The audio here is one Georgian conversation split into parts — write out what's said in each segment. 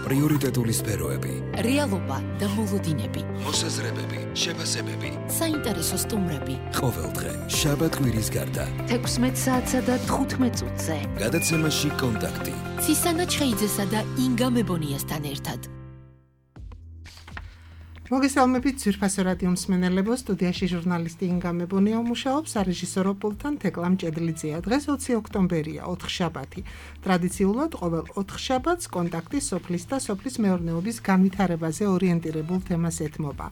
პრიორიტეტული სფეროები, რეალობა და მოლოდინები, მოსაზრებები, შეფასებები, საინტერესო სტუმრები. ყოველდღე შაბათ-კვირის გარდა 16 საათსა და 15 წუთზე. გადაცემაში კონტაქტი. ცისანა ჩხეიძესა და ინგა მებონიასთან ერთად. მოგესალმებით ძვირფასო რადიო მსმენელებო, სტუდიაში ჟურნალისტი ინგა მებონია მუშაობს, სარეჟისორო პულტთან თეკლამ ჭედლიძეა. დღეს 20 ოქტომბერია, 4 შაბათი. ტრადიციულად ყოველ 4 შაბათს კონტაქტი სოფლის და სოფლის მეურნეობის განვითარებაზე ორიენტირებულ თემას ეთმობა.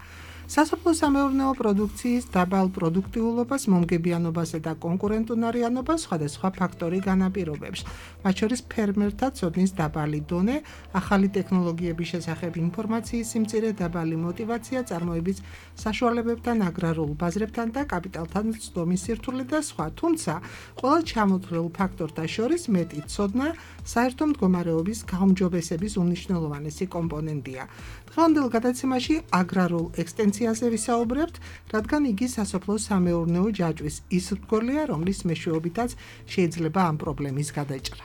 სასოფლო-სამეურნეო პროდუქციის დაბალ პროდუქტიულობას, მომგებიანობასა და კონკურენტუნარიანობას სხვადასხვა ფაქტორი განაპირობებს. მათ შორის ფერმერთა ცოდნის დაბალი დონე, ახალი ტექნოლოგიების შესახებ ინფორმაციის სიმწირე, დაბალი мотивация, წარმოების საშუალებებთან, აგრარულ ბაზრებთან და კაპიტალთან ცდომის სირთულე და სხვა. თუმცა, ყველა ჩამოთვლილ ფაქტორთა შორის მეტი ცოდნა საერთო მდგომარეობის გაუმჯობესების უმნიშვნელოვანესი კომპონენტია. დღევანდელ გადაცემაში აგრარულ ექსტენციაზე ვისაუბრებთ, რადგან იგი სასოფლო-სამეურნეო ჯაჭვის ის რგოლია, რომლის მეშვეობითაც შეიძლება ამ პრობლემის გადაჭრა.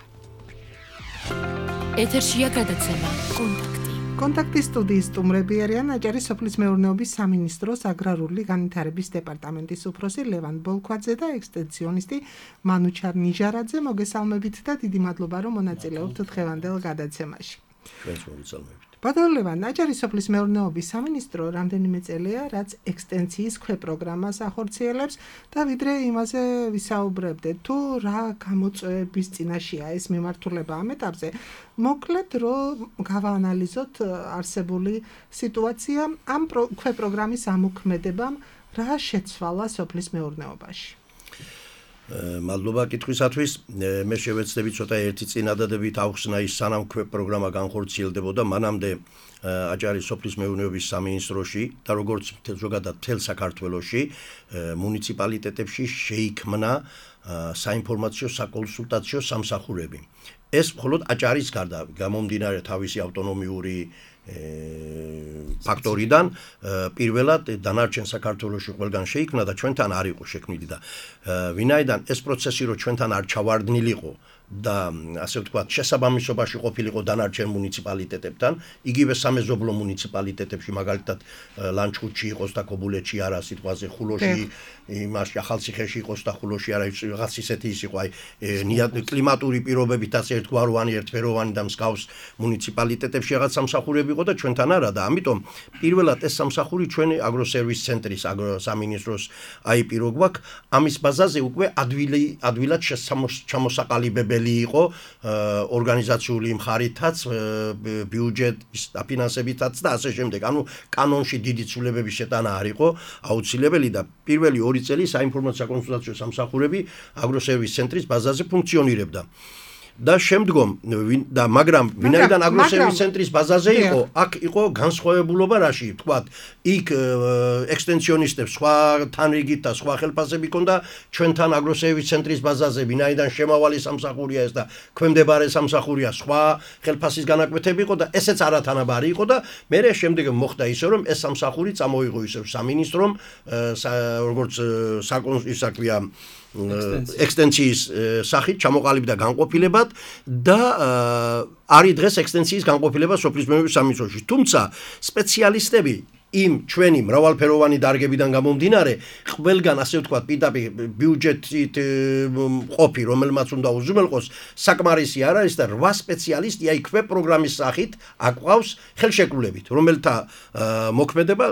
ეთერშია გადაცემა კონტაქტი. კონტაქტის სტუდიის სტუმრები არიან აჭარის სოფლის მეურნეობის სამინისტროს აგრარული განვითარების დეპარტამენტის უფროსი ლევან ბოლქვაძე და ექსტენციონისტი მანუჩარ ნიჟარაძე. მოგესალმებით და დიდი მადლობა, რომ მონაწილეობთ დღევანდელ გადაცემაში. ჩვენს მოგესალმებით. ბატონო ლევან, აჭარის სოფლის მეურნეობის სამინისტრო რამდენიმე წელია, რაც ექსტენციის ქვეპროგრამას ახორციელებს და ვიდრე იმაზე ვისაუბრებდეთ, თუ რა გამოწვევების წინაშეა ეს მიმართულება ამ ეტაპზე, მოკლედ რომ გავაანალიზოთ არსებული სიტუაცია, ამ ქვეპროგრამის ამოქმედებამ რა შეცვალა სოფლის მეურნეობაში. მადლობა კითხვისათვის. მე შევეცდები ცოტა ერთი წინადადებით ავხსნა ის სანამ პროგრამა განხორციელდებოდა, მანამდე აჭარის სოფლის მეურნეობის სამინისტროში და როგორც ზოგადად მთელ საქართველოში მუნიციპალიტეტებში შეიქმნა საინფორმაციო საკონსულტაციო სამსახურები. ეს მხოლოდ აჭარის გარდა გამომდინარე თავისი ავტონომიური ფაქტორიდან პირველად დანარჩენ საქართველოში ყველგან შეიქმნა და ჩვენთან არ იყო შექმნილი და ვინაიდან ეს პროცესი რო ჩვენთან არ ჩავარდნილიყო და ასე ვთქვათ შესაბამისობაში ყოფილიყო დანარჩენ მუნიციპალიტეტებთან, იგივე სამეზობლო მუნიციპალიტეტებში, მაგალითად ლანჩხუთში იყოს და ქობულეთში არა, სიტყვაზე ხულოში, იმაში ახალციხეში იყოს და ხულოში არა, რაღაც ისეთი ის იყო, კლიმატური პირობებითაც ერთგვაროვანი, ერთფეროვანი და მსგავს მუნიციპალიტეტებში რაღაც სამსახურები იყო და ჩვენთან არა და ამიტომ პირველად ეს სამსახური ჩვენი აგროსერვის ცენტრის სამინისტროს აიპირო გვაქვს. ამის ბაზაზე უკვე ადვილად ჩამოსაყალიბებელი იყო ორგანიზაციული მხარითაც, ბიუჯეტის დაფინანსებითაც და ასე შემდეგ. ანუ კანონში დიდი ცვლილებების შეტანა არ იყო აუცილებელი და პირველი 2 წელი საინფორმაციო საკონსულტაციო სამსახურები აგროსერვის ცენტრის ბაზაზე ფუნქციონირებდა. და შემდგომ და მაგრამ ვინაიდან აგროსერვის ცენტრის ბაზაზე იყო, აქ იყო განსხვავებულობა რაში, თქვათ, იქ ექსტენციონისტებს სხვა თანრიგით და სხვა ხელფასები ჰქონდა, ჩვენთან აგროსერვის ცენტრის ბაზაზე ვინაიდან შემავალი სამსახურია ეს და ქვემდებარე სამსახურია, სხვა ხელფასის განაკვეთები იყო და ესეც არათანაბარი იყო და მერე შემდეგ მოხდა ისე რომ ეს სამსახური წამოიღო ისევ სამინისტრომ, როგორც ისაქვია ექსტენციის სახით ჩამოყალიბდა განყოფილებად და არის დღეს ექსტენციის განყოფილება სოფლის მეურნეობის სამინისტროში. თუმცა სპეციალისტები იმ ჩვენი მრავალფეროვანი დარგებიდან გამომდინარე, ყველგან ასე ვთქვათ, პირდაპირ ბიუჯეტით ყოფი, რომელმაც უნდა უზრუნველყოს, საკმარისი არ არის და 8 სპეციალისტი აი ქვეპროგრამის სახით აკვავს ხელშეკრულებით, რომელთა მოქმედება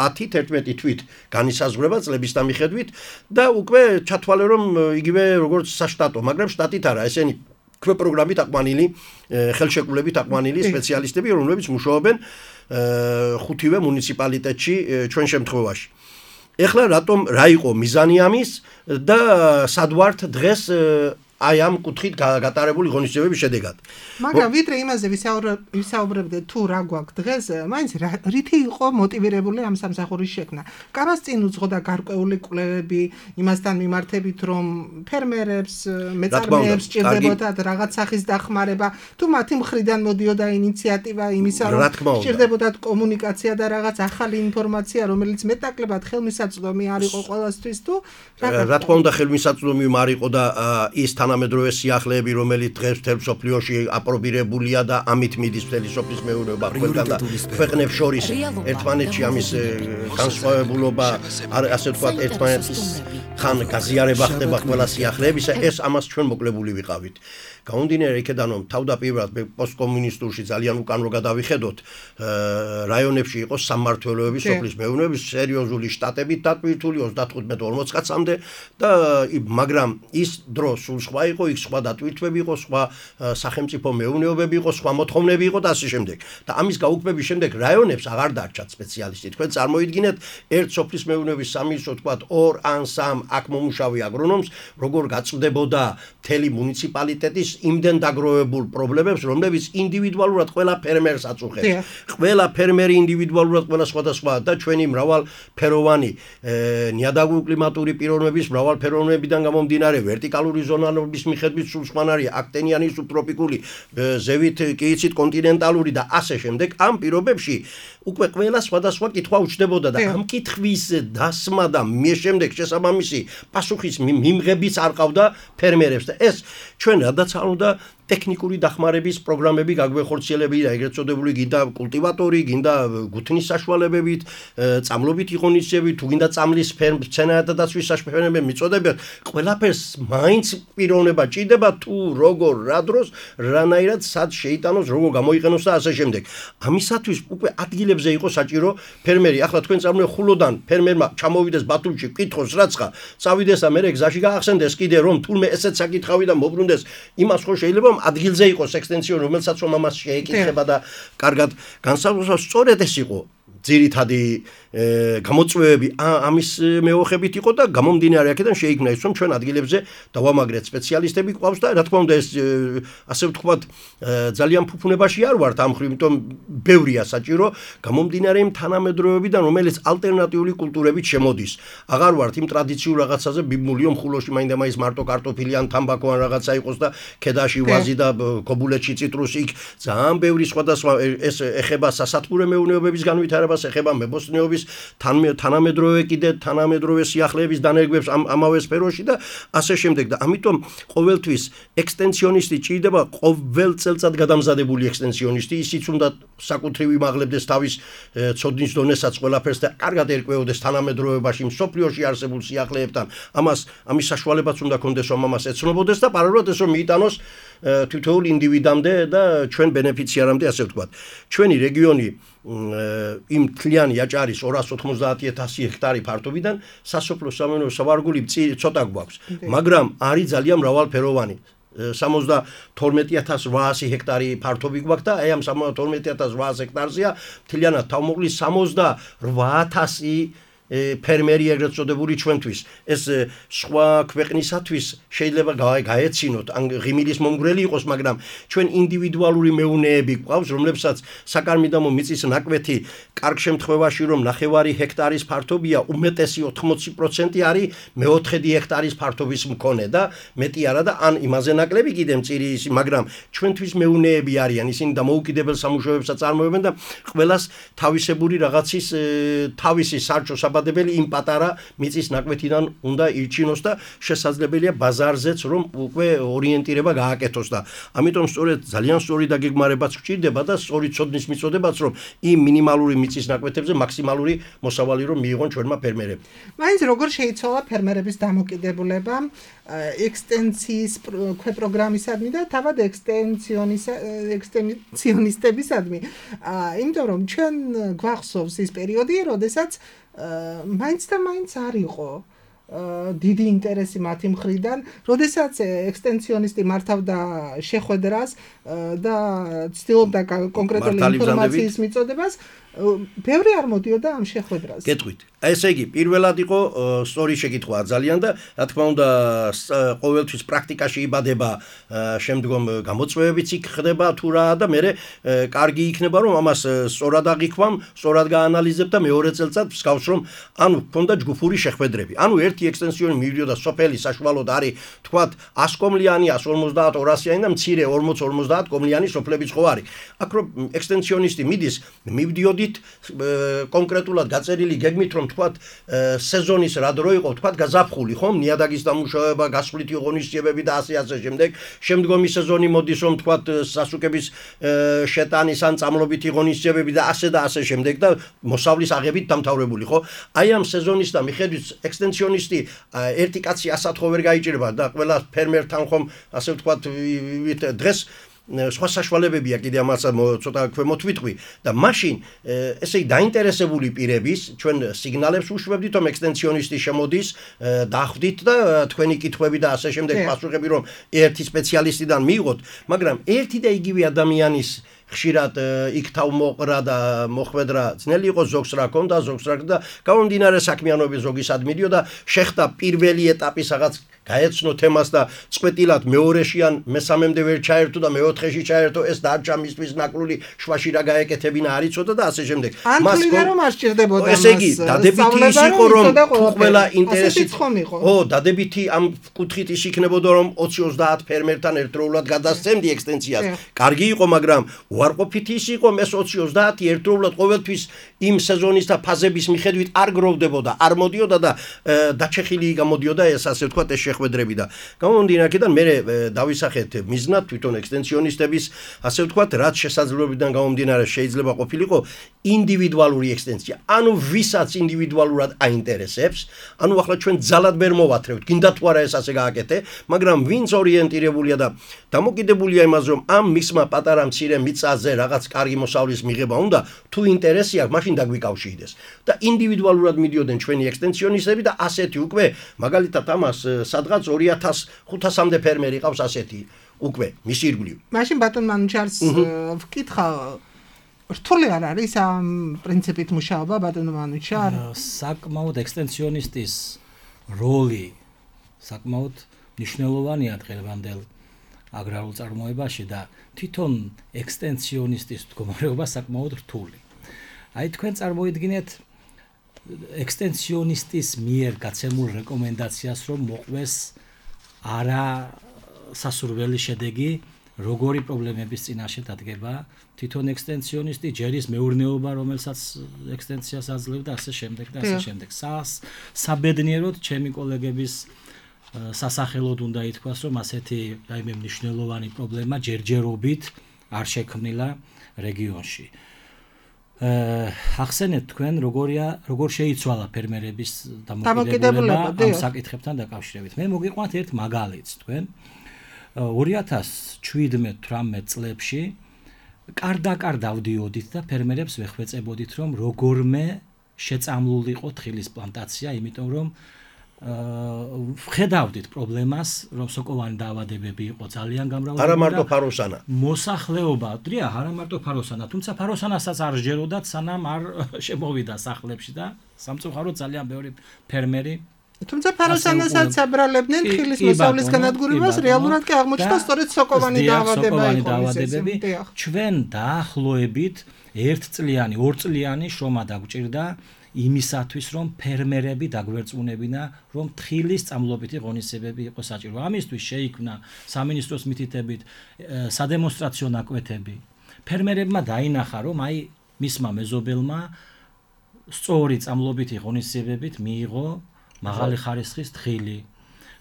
10-11 თვით განისაზღვრება წლების დამიხედვით და უკვე ჩათვალე რომ იგივე როგორც საშტატო, მაგრამ შტატით არა, ესენი ქვეპროგრამით აყვანილი, ხელშეკრულებით აყვანილი სპეციალისტები, რომლებიც მუშაობენ 5 მუნიციპალიტეტში ჩვენ შემთხვევაში. ეხლა რატომ რა იყო მიზანი ამის და სად ვართ დღეს აი ამ კუთხით გატარებული ღონისძიებების შედეგად. მაგრამ ვიდრე იმაზე ვისაუბრებდეთ თუ რა გვაქვს დღეს, მაინც რითი იყო მოტივირებული ამ სამსახურის შექმნა. კამას წინ უძღო და გარკვეული კვლევები იმასთან მიმართებით, რომ ფერმერებს, მეწარმეებს სჭირდებოდათ რაღაც სახის დახმარება, თუ მათი მხრიდან მოდიოდა ინიციატივა იმისა, რომ სჭირდებოდათ კომუნიკაცია და რაღაც ახალი ინფორმაცია, რომელიც მეტნაკლებად ხელმისაწვდომი არ იყო ყველასთვის თუ რა თქმა უნდა ხელმისაწვდომი არ იყო და ის თანამედროვე სიახლეები, რომელიც დღეს მთელ მსოფლიოში აპრობირებულია და ამით მიდის მთელი სოფლის მეურნეობა ყველგან და ქვეყნებს შორის ერთმანეთში ამის განსხვავებულობა, ასე ვთქვათ, ერთმანეთის ხან გაზიარება ხდება ყველა სიახლეებისა, ეს ამას ჩვენ მოკლებული ვიყავით. Გამომდინარე იქედან რომ თავდაპირველად პოსტკომუნისტურში ძალიან უკან რო გადავიხედოთ, რაიონებში იყო სამმართველოების სოფლის მეურნეობის სერიოზული შტატებით დატვირთული 35-40 კაცამდე და მაგრამ ის დრო სულ სხვა იყო, იქ სხვა დატვირთვები იყო, სხვა სახელმწიფო მეურნეობები იყო, სხვა მოთხოვნები იყო და ასე შემდეგ. და ამის გაუქმების შემდეგ რაიონებს აღარ დარჩათ სპეციალისტი. თქვენ წარმოიდგინეთ ერთ სოფლის მეურნეობის სამინისტრო თქვათ 2 ან 3 აქ მომუშავე აგრონომს, როგორ გაწვდებოდა მთელი მუნიციპალიტეტის იმდენ დაგროვებულ პრობლემებს, რომლებიც ინდივიდუალურად ყველა ფერმერს აწუხებს. ყველა ფერმერი ინდივიდუალურად ყველა სხვადასხვა და ჩვენი მრავალფეროვანი ნიადაგური კლიმატური პიროვნების მრავალფეროვნებიდან გამომდინარე ვერტიკალური ზონალობის მიხედვით სულ სხვანაირია, აქტენიანი სუბტროპიკული, ზევით კი იცით კონტინენტალური და ასე შემდეგ. ამ პირობებში უკვე ყველა სხვადასხვა კითხვა უჩნდებოდა და ამ კითხვის დასმა და შემდეგ შესაბამისი პასუხის მიმღებიც არ ყავდა ფერმერებს და ეს ჩვენ რადგან არ უნდა ტექნიკური დახმარების პროგრამები გაგვეხორციელებინა, ეგრეთ წოდებული გინდა კულტივატორი, გინდა გუთნის საშუალებებით, წამლობით იღონისები, თუ გინდა წამლის მცენარეთა დაცვის საშუალებები მიწოდებათ, ყველაფერს მაინც პიროვნება ჭირდება თუ როგორ, რა დროს, რანაირად სად შეიტანოს, როგორ გამოიყენოს და ასე შემდეგ. ამისათვის უკვე ადგილებზე იყო საჭირო ფერმერი. ახლა თქვენ წარმოიდგინეთ ხულოდან ფერმერმა ჩამოვიდეს ბათუმში, კითხოს რაცხა, წავიდეს და მე გზაში გაახსენდეს კიდე რომ თულმე ესეც საკითხავი და მოbrunდეს, იმას ხო შეიძლება ადგილზე იყოს ექსტენსიონი, რომელსაც რომ ამას შეეკითხება და კარგად განსაზღვროს, სწორედ ეს იყო ძირითადი გამოწვევები ამის მეოხებით იყო და გამომდინარე აქედან შეიქმნა ის რომ ჩვენ ადგილებზე დავამაგრეთ სპეციალისტები ყავს და რა თქმა უნდა ეს ასე ვთქვათ ძალიან ფუფუნებაში არ ვართ ამ ხრივ, იმიტომ ბევრია საჭირო გამომდინარე იმ თანამედროვეობიდან, რომელიც ალტერნატიული კულტურებით შემოდის. აღარ ვართ იმ ტრადიციულ რაღაცაზე ბიბმულიო მხულოში მაინდა-მაინც მარტო კარტოფილი ან თამბაქო ან რაღაცა იყოს და ქედაში ვაზი და გობულეთში ციტრუსი, იქ ძალიან ბევრი სხვადასხვა ეს ეხება სასათბურე მეურნეობების განვითარებას, ეხება მებოსტნეობის თანამედროვე კიდე თანამედროვე სიახლეების დანერგვებს ამავე სფეროში და ასე შემდეგ და ამიტომ ყოველთვის ექსტენსიონისტი ჭირდება ყოველ წელწად გადამზადებული ექსტენსიონისტი, ისიც უნდა საკუთრივ იმაღლებდეს თავის ცოდნის დონესაც ყველაფერს და კარგად ერკვეოდეს თანამედროვეობაში მსოფლიოში არსებულ სიახლეებთან. ამის საშუალებაც უნდა ქონდეს რომ ამას ეცნობოდეს და პარალელურად ეს რომ მიიტანოს თითოეულ ინდივიდამდე და ჩვენ ბენეფიციარამდე, ასე ვთქვათ. ჩვენი რეგიონი იმ თლიანი აჭარის 290,000 ჰექტარი ფართობიდან სასოფლო სამეურნეო სავარგული ცოტა გვაქვს, მაგრამ არის ძალიან მრავალფეროვანი. 72,800 ჰექტარი ფართობი გვაქვს და აი ამ 72,800 ჰექტარზეა თლიანად თავმოყრილი 68,000 ფერმერი ეგრეთ წოდებული ჩვენთვის. ეს სხვა ქვეყნისათვის შეიძლება გაეცინოთ, ან ღიმილის მომგვრელი იყოს, მაგრამ ჩვენ ინდივიდუალური მეუნეები გვყავს, რომლებსაც საკარმიდამო მიწის ნაკვეთი კარგ შემთხვევაში რომ 9 ჰექტარის ფართობია, უმეტესი 80% არის მეოთხედი ჰექტარის ფართობის მქონე და მეტი არა და ან იმაზე ნაკლები კიდე მწირი ისი, მაგრამ ჩვენთვის მეუნეები არიან, ისინი დამოუკიდებელ სამუშაოებს აწარმოებენ და ყველას თავისებური რაღაცის თავისი სარჩო იმ პატარა მიწის ნაკვეთიდან უნდა ირჩინოს და შესაძლებელია ბაზარზეც რომ უკვე ორიენტირება გააკეთოს და ამიტომ სწორედ ძალიან სწორი დაგეგმარებაც გვჭირდება და სწორი ცოდნის მიწოდებაც რომ იმ მინიმალური მიწის ნაკვეთებზე მაქსიმალური მოსავალი რომ მიიღონ ჩვენმა ფერმერებმა. მაინც როგორ შეიცვალა ფერმერების დამოკიდებულება ექსტენსიის პროგრამისადმი და თავად ექსტენსიონისტებისადმი. იმიტომ რომ ჩვენ გვახსოვს ის პერიოდი, როდესაც მაინც და მაინც არ იყო დიდი ინტერესი მათი მხრიდან, როდესაც ექსტენსიონისტი მართავდა შეხვედრას და ცდილობდა კონკრეტული ინფორმაციის მიწოდებას, ბევრი არ მოდიოდა ამ შეხვედრას. გეტყვით. ესე იგი, პირველად იყო სწორი შეკითხვა ძალიან და რა თქმა უნდა ყოველთვის პრაქტიკაში იბადება, შემდგომ გამოწვევებიც იქ ხდება თუ რა და მე კარგი იქნება რომ ამას სწორად აღიქვამ, სწორად გაანალიზებ და მეორე წელწად მსგავს რომ ანუ ქონდა ჯგუფური შეხვედრები. ანუ ერთი ექსტენსიონი მივიდოდა სოფელი საშუალოდ არის თქვათ 100 კომლიანი, 150, 200-იანი და მცირე 40-50 კომლიანი სოფლებიც ხო არის. აქ რომ ექსტენსიონისტი მიდის, მივდიოდით კონკრეტულად გაწერილი გეგმით რომ თქვათ სეზონის რა დრო იყო თქვათ გაზაფხული ხომ ნიადაგის დამუშავება გასვლითი ღონისძიებები და ასე შემდეგ შემდგომი სეზონი მოდის რომ თქვათ სასუკების შეტანის ან წამლობითი ღონისძიებები და ასე შემდეგ და მოსავლის აღებით დამთავრებული ხო აი ამ სეზონის და მიხედვით ექსტენსიონისტი ერთი კაცი ასად ხო ვერ გაიჭირება და ყველა ფერმერთან ხომ ასე ვთქვათ დღეს სხვა საშუალებებია კიდე ამას ცოტა ქვემოთ ვიტყვი და მაშინ ესე იგი დაინტერესებული პირების ჩვენ სიგნალებს უშვებდით რომ ექსტენსიონისტი შემოდის დახვდით და თქვენი კითხვები და ასე შემდეგ პასუხები რომ ერთი სპეციალისტიდან მიიღოთ მაგრამ ერთი და იგივე ადამიანის ხშირად იქ თავმოყრა და მოხვედრა ძნელი იყო ზოგს რა ქონდა ზოგს რა და გამომდინარე საქმიანობის ზოგისად მიდიოდა შეხდა პირველი ეტაპის რაღაც გაეცნო თემას და წყვეტილად მეორეში ან მესამემდე ვერ ჩაერთო და მეოთხეში ჩაერთო ეს დარჩა მისთვის ნაკლული შვაში რა გაეკეთებინა არ იცოდა და ასე შემდეგ მას რომ არ სჭირდებოდა ესე იგი დადებითი ის იყო რომ ყველა ინტერესით ო დადებითი ამ კუთხით ის იქნებოდა რომ 20-30 ფერმერთან ერთდროულად გადასცემდი ექსტენსიას კარგი იყო მაგრამ უარყოფითი ის იყო ეს 20-30 ერთდროულად ყოველთვის იმ სეზონის და ფაზების მიხედვით არ გროვდებოდა არ მოდიოდა და დაჩეხილი გამოდიოდა ეს ასე ვთქვათ ეს შეხვედრები და გამომდინარე აქედან მე დავისახეთ მიზნად თვითონ ექსტენსიონისტების ასე ვთქვათ რაც შესაძლებლობიდან გამომდინარე შეიძლება ყოფილიყო ინდივიდუალური ექსტენსია ანუ ვისაც ინდივიდუალურად აინტერესებს ანუ ახლა ჩვენ ძალად ვერ მოვათრევთ გინდა თუ არა ეს ასე გააკეთე მაგრამ ვინც ორიენტირებულია და დამოკიდებულია იმაზე რომ ამ მისმა პატარა მცირე მიწაზე რაღაც კარგი მოსავლის მიღება უნდა თუ ინტერესი აქვს მაშინ დაგვიკავშირდეს და ინდივიდუალურად მიდიოდნენ ჩვენი ექსტენსიონისტები და ასეთი უკვე მაგალითად ამას სადღაც 2500-მდე ფერმერი ყავს ასეთი უკვე მისი ირგვლივ მაშინ ბატონ მანუჩარს ვკითხა რთული არ არის ამ პრინციპით მუშაობა ბატონ მანუჩარ საკმაოდ ექსტენსიონისტის როლი საკმაოდ მნიშვნელოვანია დღევანდელ აგრარულ წარმოებაში და თვითონ ექსტენსიონისტის მდგომარეობა საკმაოდ რთული. აი თქვენ წარმოიდგინეთ ექსტენსიონისტის მიერ გაცემულ რეკომენდაციას რომ მოყვეს არა სასურველი შედეგი როგორი პრობლემების წინაშე დადგება თვითონ ექსტენსიონისტი ჯერის მეურნეობა რომელსაც ექსტენსიას აძლევდა ასე შემდეგ და ასე შემდეგ საბედნიეროდ ჩემი კოლეგების სასახელოდ უნდა ითქვას რომ ასეთი რაიმე მნიშვნელოვანი პრობლემა ჯერჯერობით არ შექმნილა რეგიონში ახსენეთ თქვენ როგორ შეიცვალა ფერმერების დამოკიდებულება ამ საკითხებთან დაკავშირებით მე მოგიყვანთ ერთ მაგალითს თქვენ 2017-18 წლებში კარდაკარ დავდიოდით და ფერმერებს ვეხვეწებოდით რომ როგორმე შეწამლულიყო თხილის პლანტაცია იმიტომ რომ ვხედავდით პრობლემას რომ სოკოვანი დაავადებები იყო ძალიან გამრავლებული არა მარტო ფაროსანა მოსახლეობა დრია არა მარტო ფაროსანა თუმცა ფაროსანასაც არ ჯეროდათ სანამ არ შემოვიდა სახლებში და სამწუხაროდ ძალიან ბევრი ფერმერი თუმცა ფაროსანასაც აბრალებდნენ თხილის მოსავლის განადგურებას რეალურად კი აღმოჩნდა სწორედ სოკოვანი დაავადებები ჩვენ დაახლოებით 1 წლიანი 2 წლიანი შრომა დაგვჭირდა იმისათვის რომ ფერმერები დაგვერწმუნებინა რომ თხილის წამლობითი ღონისძიებები იყო საჭირო. ამისთვის შეიქმნა სამინისტროს მითითებით სადემონსტრაციო ნაკვეთები. ფერმერებმა დაინახა რომ აი მისმა მეზობელმა სწორი წამლობითი ღონისძიებებით მიიღო მაღალი ხარისხის თხილი.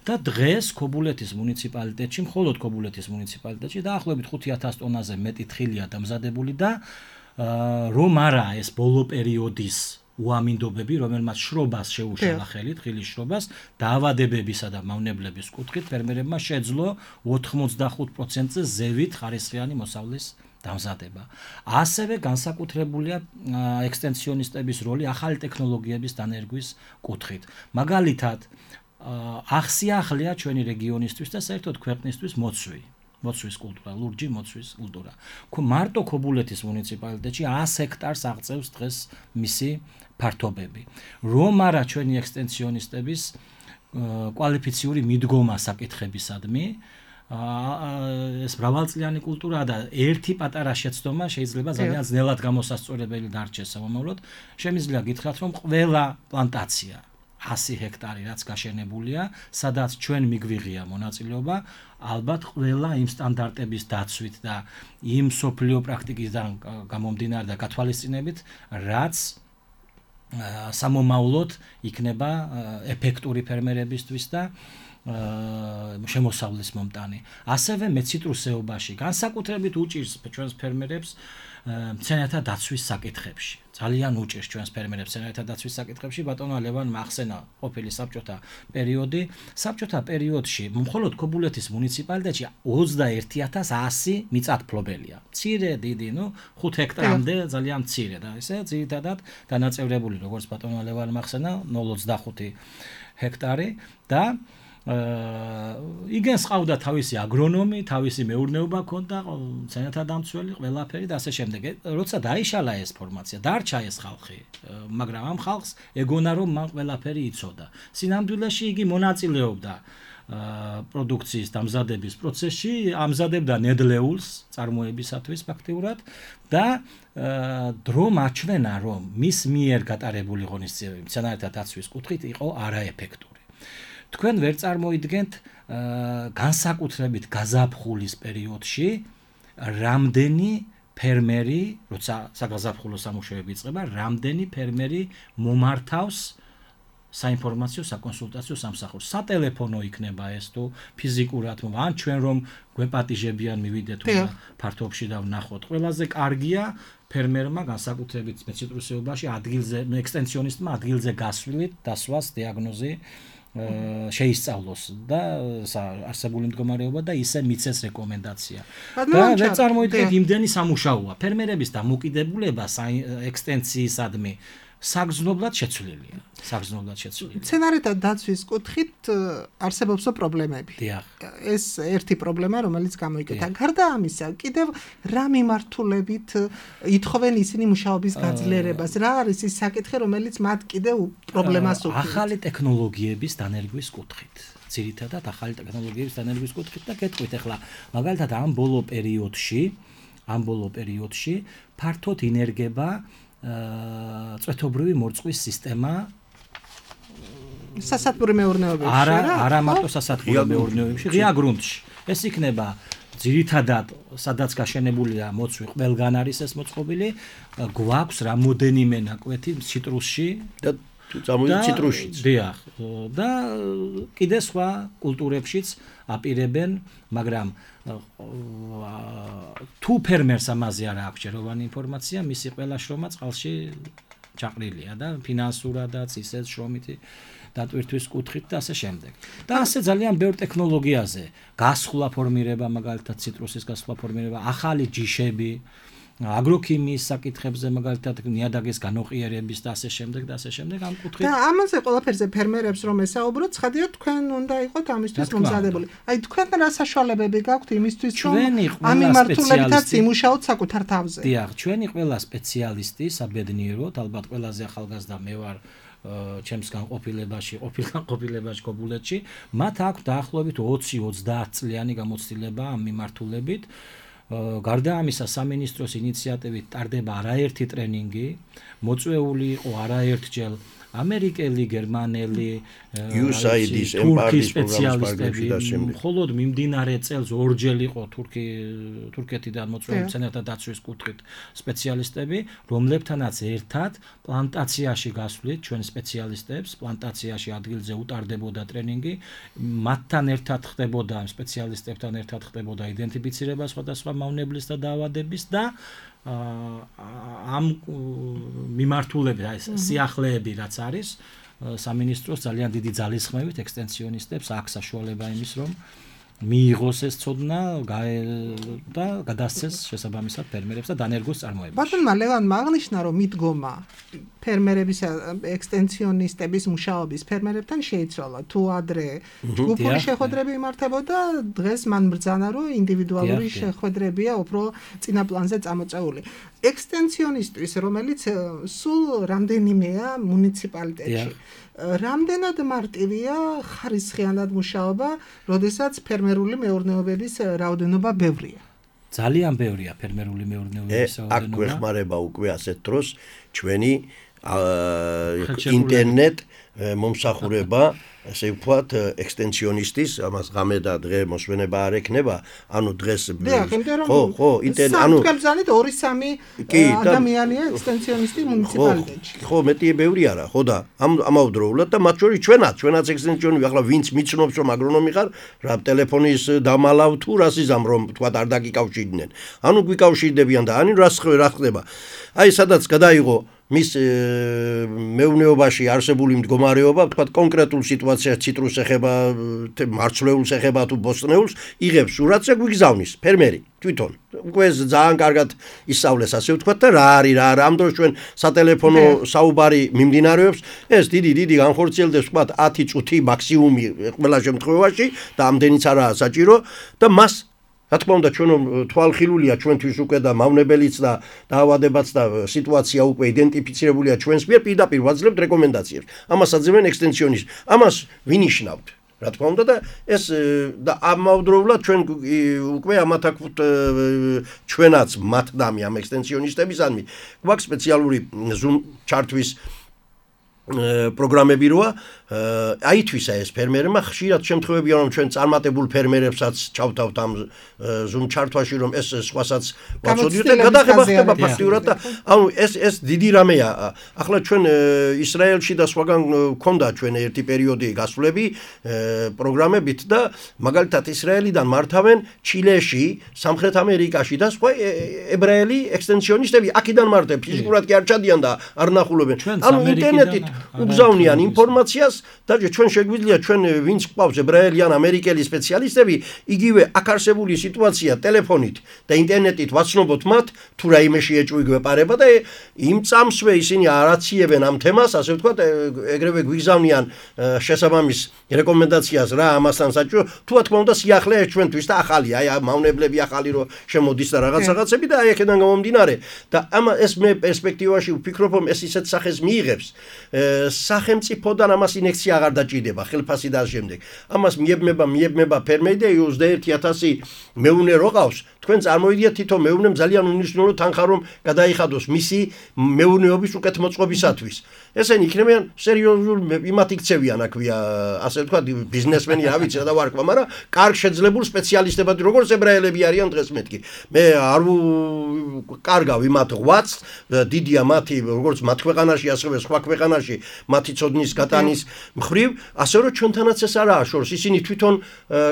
და დღეს ქობულეთის მუნიციპალიტეტში, მხოლოდ ქობულეთის მუნიციპალიტეტში დაახლოებით 5000 ტონაზე მეტი თხილია დამზადებული და რომ არა ეს ბოლო პერიოდის უამინდობები, რომელმაც შრობას შეუშალა ხელი, თხილის შრობას, დაავადებებისა და მავნებლების კუთხით ფერმერებმა შეძლო 85%-ზე ზევით ხარისხიანი მოსავლის დამზადება. ასევე განსაკუთრებულია ექსტენსიონისტების როლი ახალი ტექნოლოგიების დანერგვის კუთხით. მაგალითად, ახსიახლია ჩვენი რეგიონისთვის და საერთოდ ქვეყნისთვის მოცვის კულტურა, ლურჯი მოცვის კულტურა. მარტო ქობულეთის მუნიციპალიტეტში 100 ჰექტარს აღწევს დღეს მისი ფართობები. რომ არა ჩვენი ექსტენსიონისტების კვალიფიციური მიდგომა საკითხებისადმი, ეს მრავალწლიანი კულტურაა და ერთი პატარა შეცდომა შეიძლება ძალიან ძნელად გამოსასწორებელი დარჩეს სამომავლოდ. შემიძლია გითხრათ, რომ ყველა პლანტაცია 100 ჰექტარი რაც გაშენებულია, სადაც ჩვენ მიგვიღია მონაწილეობა, ალბათ ყველა იმ სტანდარტების დაცვით და იმ სოფლიო პრაქტიკისგან გამომდინარე და გათვალისწინებით, რაც სამომავლოდ იქნება ეფექტური ფერმერებისთვის და შემოსავლის მომტანი. ასევე მეციტრუსეობაში განსაკუთრებით უჭირს ჩვენს ფერმერებს მცენარეთა დაცვის საკითხებში. ძალიან უჭირს ჩვენს ფერმერებს მცენარეთა დაცვის საკითხებში. ბატონო ლევან მახსენა ყოფილი საბჭოთა პერიოდი. საბჭოთა პერიოდში მხოლოდ ქობულეთის მუნიციპალიტეტში 21100 მიწათმფლობელია. მცირე, დიდი, 5 ჰექტარამდე ძალიან მცირე და ესე ძირითადად დანაწევრებული როგორც ბატონო ლევან მახსენა 0,25 ჰექტარი და იგენს ყავდა თავისი აგრონომი, თავისი მეურნეობა ქონდა, მცენარეთა დამცველი, ყველაფერი და ასე შემდეგ. როცა დაიშალა ეს ფორმაცია, დარჩა ეს ხალხი, მაგრამ ამ ხალხს ეგონა რომ მან ყველაფერი იცოდა. სინამდვილეში იგი მონაწილეობდა პროდუქციის დამზადების პროცესში, ამზადებდა ნედლეულს წარმოებისათვის ფაქტიურად და დრომ აჩვენა რომ მის მიერ გატარებული ღონისძიებები მცენარეთა დაცვის კუთხით იყო არაეფექტური. თქვენ ვერ წარმოიდგენთ განსაკუთრებით გაზაფხულის პერიოდში რამდენი ფერმერი, როცა საგაზაფხულო სამუშაოები იწყება, რამდენი ფერმერი მომართავს საინფორმაციო საკონსულტაციო სამსახურს. სატელეფონო იქნება ეს თუ ფიზიკურად, ან ჩვენ რომ გვეპატიჟებიან მივიდეთ უნდა ფართობში და ვნახოთ. ყველაზე კარგია ფერმერმა განსაკუთრებით მეციტრუსეობაში ადგილზე, ექსტენსიონისტმა ადგილზე გასვლით დასვას დიაგნოზი შეისწავლოს და არსებული მდგომარეობა და ისე მიცეს რეკომენდაცია. და ვერ წარმოიდგენთ იმდენი სამუშაოა. ფერმერების დამოკიდებულება ექსტენციისადმი საგრძნობლად შეცვლილია. მცენარეთა დაცვის კუთხით არსებობს პრობლემები. ეს ერთი პრობლემა, რომელიც გამოიკეთა. გარდა ამისა, კიდევ რა მიმართულებით ითხოვენ ისინი მუშაობის გაძლიერებას? რა არის ის საკითხი, რომელიც მათ კიდევ პრობლემას უქმნის? ახალი ტექნოლოგიების დანერგვის კუთხით. ძირითადად ახალი ტექნოლოგიების დანერგვის კუთხით და გეტყვით ახლა, მაგალითად ამ ბოლო პერიოდში ფართოდ ინერგება წვეთობრივი მორწყვის სისტემა სასათბური მეურნეობებში არა მარტო სასათბური მეურნეობებში ღია გრუნტში ეს იქნება ძირითადად სადაც გაშენებულია მოცვი ყველგან არის ეს მოწყობილი გვაქვს რამოდენიმე ნაკვეთი ციტრუსში და ციტრუსშიც დიახ და კიდე სხვა კულტურებშიც აპირებენ მაგრამ თუ ფერმერს ამაზე არ აქვს ჯეროვანი ინფორმაცია მისი ყველა შრომა წყალში ჩაყრილია და ფინანსურადაც ისეთ შრომითი დატვირთვის კუთხით და ასე შემდეგ. და ასე ძალიან ბევრ ტექნოლოგიაზე გასხლა ფორმირება მაგალითად ციტრუსის გასხლა ფორმირება ახალი ჯიშები აგროქიმიის საკითხებზე მაგალითად ნიადაგის განოყიერების და ასე შემდეგ ამ კუთხით. და ამაზე ყველაფერზე ფერმერებს რომ ესაუბროთ, ცხადია თქვენ უნდა იყოთ ამისთვის მომზადებული. აი თქვენ რა საშუალებები გაქვთ იმისთვის რომ ამ მიმართულებითაც იმუშაოთ საკუთარ თავზე? დიახ, ჩვენი ყველა სპეციალისტი საბედნიეროდ, ალბათ ყველაზე ახალგაზრდა მე ვარ ჩემს განყოფილებაში ქობულეთში, მათ აქვს დაახლოებით 20-30 წლიანი გამოცდილება ამ მიმართულებით. გარდა ამისა სამინისტროს ინიციატივით ტარდება არაერთი ტრენინგი, მოწვეული იყო არაერთჯერ ამერიკელი, გერმანელი, USAID-ის თურქის სპეციალისტები, მხოლოდ მიმდინარე წელს ორჯერ იყო თურქეთიდან მოწვეული მცენარეთა დაცვის კუთხით სპეციალისტები, რომლებთანაც ერთად პლანტაციაში გასვლით ჩვენ სპეციალისტებს, პლანტაციაში ადგილზე უტარდებოდა ტრენინგი, მათთან ერთად ხდებოდა ამ სპეციალისტებთან ერთად ხდებოდა იდენტიფიცირება სხვადასხვა მავნებლის და დაავადების და ამ მიმართულებით ეს სიახლეები რაც არის სამინისტროს ძალიან დიდი ძალისხმევით ექსტენსიონისტებს აქვს საშუალება იმის რომ მიიღოს ეს ცოდნა და გადასცეს შესაბამისად ფერმერებს და დანერგოს წარმოებაში. ბატონმა ლევანმა აღნიშნა რომ მიდგომა ფერმერების ექსტენსიონისტების მუშაობის ფერმერებთან შეიცვალა. თუ ადრე ჯგუფური შეხვედრები იმართებოდა, დღეს მან ბრძანა რომ ინდივიდუალური შეხვედრებია უფრო წინა პლანზე წამოწეული. ექსტენსიონისტვის რომელიც სულ რამდენიმეა მუნიციპალიტეტში. რამდენად მარტივია ხარისხიანად მუშაობა, როდესაც ფერმერული მეურნეობების რაოდენობა ბევრია? ძალიან ბევრია ფერმერული მეურნეობების რაოდენობა. აქ გვეხმარება უკვე ასეთ დროს ჩვენი ინტერნეტ მომსახურება ესე ვთქვათ, ექსტენსიონისტის, ამას ღამე და დღე მოსვენება არ ექნება, ანუ დღეს ხო, ანუ სამთქელზანით 2-3 ადამიანია ექსტენსიონისტი მუნიციპალიტეტში. ხო, მეტი ბევრი არა, ხო და ამავდროულად და მათ შორის ჩვენაც ექსტენსიონი, ახლა ვინც მიცნობს რომ აგრონომი ხარ, რა ტელეფონის დამალავ თუ რასიზამ რომ თქვა არ დაგიკავშირდნენ. ანუ გვიკავშირდებიან და ანუ რა ხდება. აი სადაც გადაიღო მის მეურნეობაში არსებული მდგომარეობა, თქვა კონკრეტულ სიტუაციას ციტრუსს ეხება, მარცვლეულს ეხება თუ ბოსტნეულს, იღებს სურათს და გვიგზავნის ფერმერი თვითონ. უკვე ძალიან კარგად ისწავლეს ასე ვთქვათ და რა არის რა ამ დროს ჩვენ სატელეფონო საუბარი მიმდინარეობს, ეს დიდი განხორციელდეს ვთქვათ 10 წუთი მაქსიმუმი ყველა შემთხვევაში და ამდენიც არაა საჭირო და მას რა თქმა უნდა ჩვენ თვალხილულია ჩვენთვის უკვე და მავნებელიც და დაავადებაც და სიტუაცია უკვე იდენტიფიცირებულია ჩვენს მიერ პირდაპირ ვაძლევთ რეკომენდაციებს. ამას აძლევენ ექსტენსიონის. ამას ვინიშნავთ. რა თქმა უნდა და ეს და ამავდროულად ჩვენ უკვე ამათაქვთ ჩვენაც მათდამი ამ ექსტენსიონისტებისადმი გვაქვს სპეციალური Zoom ჩართვის პროგრამები როა აითვისა ეს ფერმერებმა ხშირად შემთხვევებია რომ ჩვენ წარმატებულ ფერმერებსაც ჩავთავთ ამ Zoom ჩართვაში რომ ეს სხვასაც ვაწოდიოთ და გადაღება ხდება ფაქტიურად და ანუ ეს დიდი რამეა ახლა ჩვენ ისრაელში და სხვაგან გქონდა ჩვენ ერთი პერიოდი გასვლები პროგრამებით და მაგალითად ისრაელიდან მართავენ ჩილეში სამხრეთ ამერიკაში და სხვა ებრაელი ექსტენსიონისტები აქედან მარტივ ფიზიკურად კი არ ჩადიან და არ ნახულობენ ანუ ინტერნეტით უგზავნიან ინფორმაციას და ჩვენ შეგვიძლია ჩვენ ვინც გვყავს ებრაელი ან ამერიკელი სპეციალისტები იგივე აქ არსებული სიტუაცია ტელეფონით და ინტერნეტით ვაცნობოთ მათ თუ რაიმე შეეჭვი გვეპარება და იმ წამსვე ისინი არაციებენ ამ თემას ასე ვთქვათ ეგრევე გვიგზავნიან შესაბამის რეკომენდაციას რა ამასთან საჭირო თუ რა თქმა უნდა სიახლე ჩვენთვის და ახალი აი მავნებლები ახალი რო შემოდის და რაღაცები და აი აქედან გამომდინარე და ეს მე პერსპექტივაში ვფიქრობ რომ ეს ისეთ სახეს მიიღებს სახელმწიფოდან ამას ინექცია აღარ დაჭირდება ხელფასი და შემდეგ ამას მიებმება ფერმერი და 21000 მეუნე რო ყავს თქვენ წარმოიდგინეთ თვითონ მეუნემ ძალიან უნიშნულო თანხა რომ გადაიხადოს მისი მეუნეობის უკეთმოწყობისათვის ესენი იქნებიან სერიოზულ იმათ იქცევიან აქვია ასე ვთქვათ ბიზნესმენი რა ვიცი და ვარქვა მაგრამ კარგ შეძლებულ სპეციალისტებად როგორც ებრაელები არიან დღეს მეთქი მე არ კარგავ იმათ ღვაწ დიდია მათი როგორც მათ ქვეყანაში ასევე სხვა ქვეყანაში მათი ცოდნის გატანის მხრივ ასე რომ ჩვენთანაც ეს არაა შორს ისინი თვითონ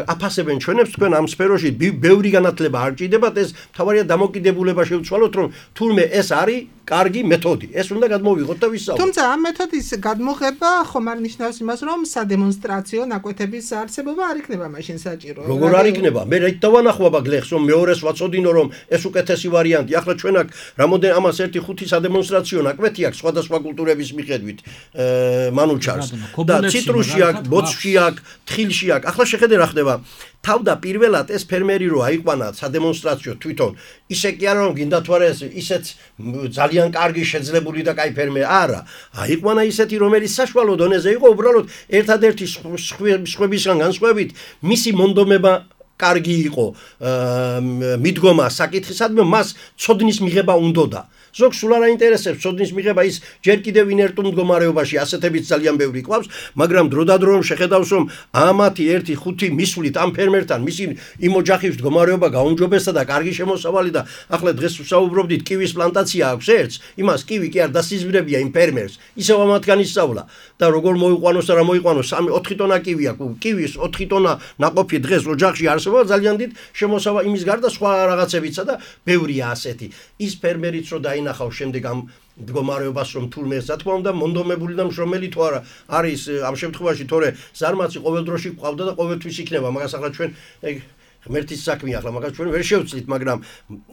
აფასებენ ჩვენებს თქვენ ამ სფეროში ბევრი განათლება არ ჭირდებათ ეს თავარია დამოკიდებულება შევცვალოთ რომ თურმე ეს არის კარგი მეთოდი ეს უნდა გადმოვიღოთ და ვისაუბროთ თუმცა ამ მეთოდის გადმოღება ხომ არ ნიშნავს იმას რომ სადემონსტრაციო ნაკვეთების არსებობა არ იქნება მაშინ საჭირო როგორ არ იქნება მე რა დავანახვა გლეხს რომ მეორეს ვაწოდინო რომ ეს უკეთესი ვარიანტი ახლა ჩვენ აქ რამოდენ ამას 1-5 სადემონსტრაციო ნაკვეთი აქვს სხვადასხვა კულტურების მიხედვით მანუჩარს და ციტრუსში აქვს ბოწში აქვს თხილში აქვს ახლა შეხედე რა ხდება თავდაპირველად ეს ფერმერი რო აიყვანა სადემონსტრაციო თვითონ ისე კი არა რომ გინდა თუ არა ისეც ძალიან კარგი შეძლებული და კაი ფერმერი არა აიყვანა ისეთი რომელიც საშუალო დონეზე იყო უბრალოდ ერთადერთი სხვებისგან განსხვავებით მისი მონდომება კარგი იყო მიდგომა საკითხისადმი მას ცოდნის მიღება უნდოდა ზოგს სულ არ აინტერესებს ცოდნის მიღება ის ჯერ კიდევ ინერტულ მდგომარეობაში ასეთებიც ძალიან ბევრი ყავს მაგრამ დროდადრო შეხედავს რომ ამათი 1-5 მისვლით ამ ფერმერთან მისი იმ ოჯახის მდგომარეობა გაუმჯობესდა და კარგი შემოსავალი და ახლა დღეს ვსაუბრობდით კივის პლანტაცია აქვს ერთს იმას კივი კი არ დასიზმრებია იმ ფერმერს ისევ ამათგან ისწავლა და როგორ მოიყვანოს და რა მოიყვანოს 3-4 ტონა კივი აქვს კივის 4 ტონა ნაყოფი დღეს ოჯახში არსებობა ძალიან დიდ შემოსავალი იმის გარდა სხვა რაღაცებიცა და ბევრია ასეთი ის ფერმერიც რო ნახავ შემდეგ ამ მდგომარეობას რომ თურმე რა თქმა უნდა მონდომებული და მშრომელი თუ არა არის ამ შემთხვევაში თორე ზარმაცი ყოველ დროში ყავდა და ყოველთვის იქნება მაგას ახლა ჩვენ ღმერთის საქმეა ახლა მაგას ჩვენ ვერ შევცვლით მაგრამ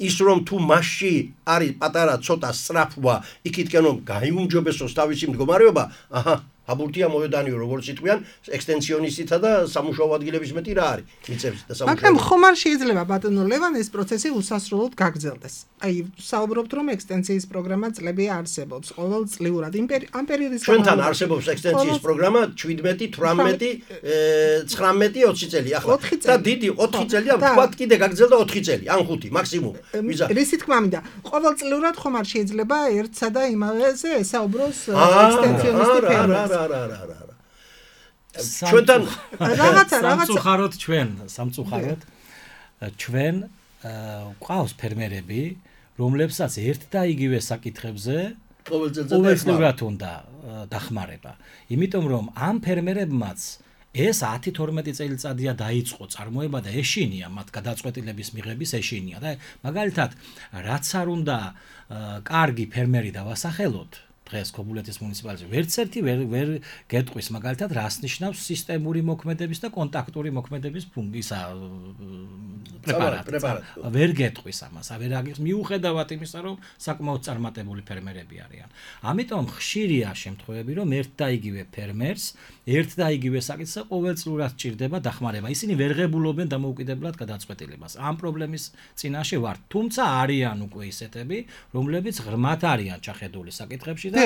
ის რომ თუ მასში არის პატარა ცოტა სწრაფვა იქითკენ რომ გაიუმჯობესოს თავისი მდგომარეობა აჰა აბურთია მოედანიო როგორც იტყვიან ექსტენსიონისტთა და სამუშაო ადგილების მეტი რა არის მიწებს და სამუშაო მაგრამ ხომ არ შეიძლება ბატონო ლევან ეს პროცესი უსასრულოდ გაგრძელდეს აი საუბრობთ რომ ექსტენსიის პროგრამა წლები არსებობს ყოველწლიურად ამ პერიოდის ჩვენთან არსებობს ექსტენსიის პროგრამა 17 18 19 20 წელი ახლა და დიდი 4 წელია ვთქვათ კიდე გაგრძელდა 4 წელი ან 5 მაქსიმუმ რისი თქმა მინდა ყოველწლიურად ხომ არ შეიძლება ერთსა და იმავეზე ესაუბროს ექსტენსიონისტი ფერმერი არა ჩვენთან რაღაცა სამწუხაროდ ჩვენ ყავს ფერმერები, რომლებსაც ერთ და იგივე საკითხებზე ყოველწლიურად უნდა დახმარება. იმიტომ რომ ამ ფერმერებმაც ეს 10-12 წელიწადია დაიწყო წარმოება და ეშინია მათ გადაწყვეტილების მიღების ეშინია და მაგალითად რაც არ უნდა კარგი ფერმერი დავასახელოთ დღეს ქობულეთის მუნიციპალიტეტში ვერც ერთი ვერ გეტყვის მაგალითად რას ნიშნავს სისტემური მოქმედების და კონტაქტური მოქმედების ფუნქცია პრეპარატი ვერ გეტყვის ამას ვერ აგიხს მიუხედავად იმისა რომ საკმაოდ წარმატებული ფერმერები არიან ამიტომ ხშირია შემთხვევები რომ ერთ და იგივე ფერმერს ერთ და იგივე საკითხზე ყოველწლიურად ჭირდება დახმარება ისინი ვერ ღებულობენ დამოუკიდებლად გადაწყვეტილებას ამ პრობლემის წინაშე ვართ თუმცა არიან უკვე ისეთები რომლებიც ღრმად არიან ჩახედული საკითხებში და